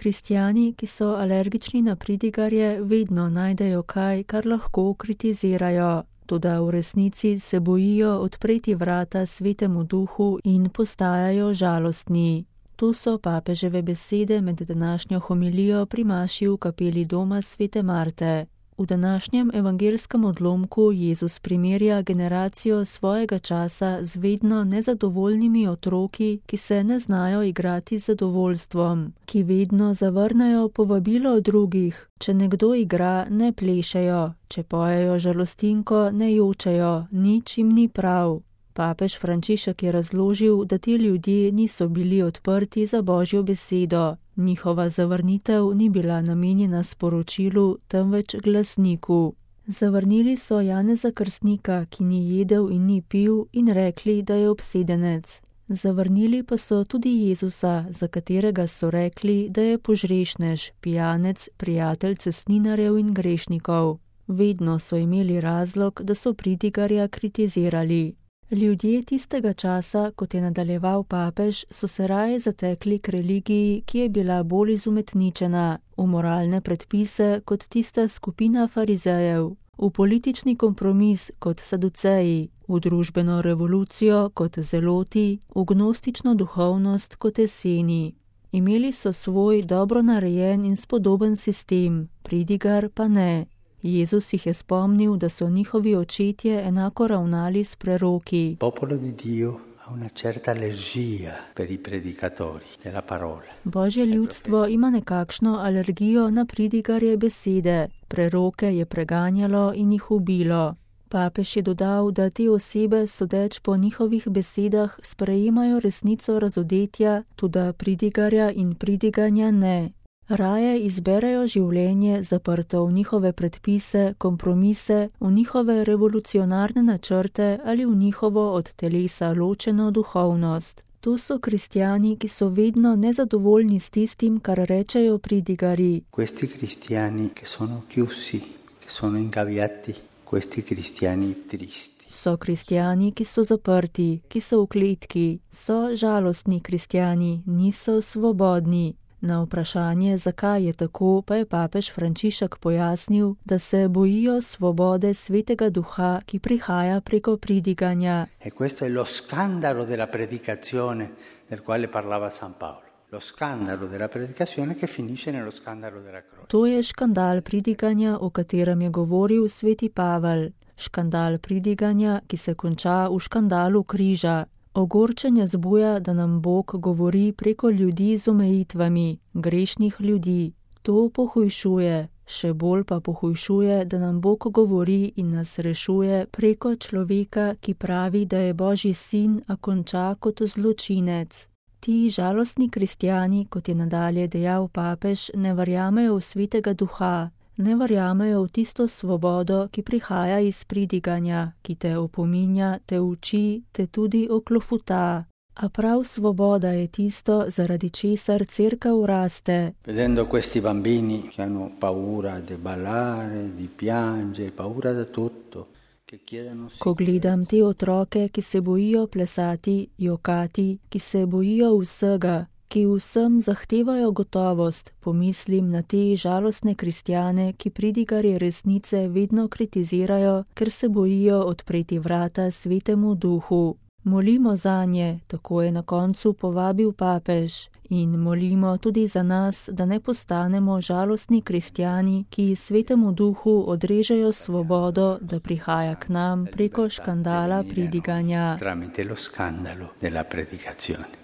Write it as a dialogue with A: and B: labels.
A: Kristjani, ki so alergični na pridigarje, vedno najdejo kaj, kar lahko kritizirajo. Toda v resnici se bojijo odpreti vrata Svetemu Duhu in postajajo žalostni. To so papeževe besede med današnjo homilijo pri maši v kapeli doma Svete Marte. V današnjem evangelskem odlomku Jezus primerja generacijo svojega časa z vedno nezadovoljnimi otroki, ki se ne znajo igrati z zadovoljstvom, ki vedno zavrnejo povabilo drugih. Če nekdo igra, ne plešejo, če pojejo žalostinko, ne jočejo, nič jim ni prav. Papež Frančišek je razložil, da ti ljudje niso bili odprti za Božjo besedo. Njihova zavrnitev ni bila namenjena sporočilu, temveč glasniku. Zavrnili so Janeza Krstnika, ki ni jedel in ni pil, in rekli, da je obsedenec. Zavrnili pa so tudi Jezusa, za katerega so rekli, da je požrešnež, pijanec, prijatelj cestninarjev in grešnikov. Vedno so imeli razlog, da so pridigarja kritizirali. Ljudje tistega časa, kot je nadaljeval papež, so se raje zatekli k religiji, ki je bila bolj izumetničena, v moralne predpise kot tista skupina farizejev, v politični kompromis kot saduceji, v družbeno revolucijo kot zeloti, v gnostično duhovnost kot eseni. Imeli so svoj dobro narejen in spodoben sistem, pridigar pa ne. Jezus jih je spomnil, da so njihovi očetje enako ravnali s preroki.
B: Popolo di Dio ha una certa allergia per i predicatori della parola.
A: Božje ljudstvo ima nekakšno alergijo na pridigarje besede. Preroke je preganjalo in jih ubilo. Papež je dodal, da te osebe, sodeč po njihovih besedah, sprejemajo resnico razodetja, toda pridigarja in pridiganja ne. Raje izberejo življenje zaprto v njihove predpise, kompromise, v njihove revolucionarne načrte ali v njihovo od telesa ločeno duhovnost. To so kristjani, ki so vedno nezadovoljni s tistim, kar rečejo pridigari.
B: Questi cristiani che sono chiusi, che sono ingaviati, questi cristiani tristi.
A: So kristjani, ki so zaprti, ki so v kletki, so žalostni kristjani, niso svobodni. Na vprašanje, zakaj je tako, pa je papež Frančišek pojasnil, da se bojijo svobode Svetega Duha, ki prihaja preko pridiganja.
B: E questo è lo scandalo della predicazione del quale parlava San Paolo. Lo scandalo della predicazione che finisce nello scandalo della croce.
A: To je škandal pridiganja, o katerem je govoril sveti Pavel. Škandal pridiganja, ki se konča v škandalu križa. Ogorčenje zbuja, da nam Bog govori preko ljudi z omejitvami, grešnih ljudi. To pohujšuje, še bolj pa pohujšuje, da nam Bog govori in nas rešuje preko človeka, ki pravi, da je Božji sin, a konča kot zločinec. Ti žalostni kristjani, kot je nadalje dejal papež, ne verjamejo v Svetega Duha. Ne verjamejo v tisto svobodo, ki prihaja iz pridiganja, ki te opominja, te uči, te tudi oklofuta. A prav svoboda je tisto, zaradi česar cerkev raste.
B: Vedendo questi bambini che hanno paura di ballare, di piangere, paura da tutto.
A: Ko gledam te otroke, ki se bojijo plesati, jokati, ki se bojijo vsega, ki vsem zahtevajo gotovost, pomislim na te žalostne kristjane, ki pridigarje resnice vedno kritizirajo, ker se bojijo odpreti vrata Svetemu Duhu. Molimo zanje, tako je na koncu povabil papež, in molimo tudi za nas, da ne postanemo žalostni kristjani, ki Svetemu Duhu odrežejo svobodo, da prihaja k nam preko škandala pridiganja.
B: Tramite lo scandalo della predicazione.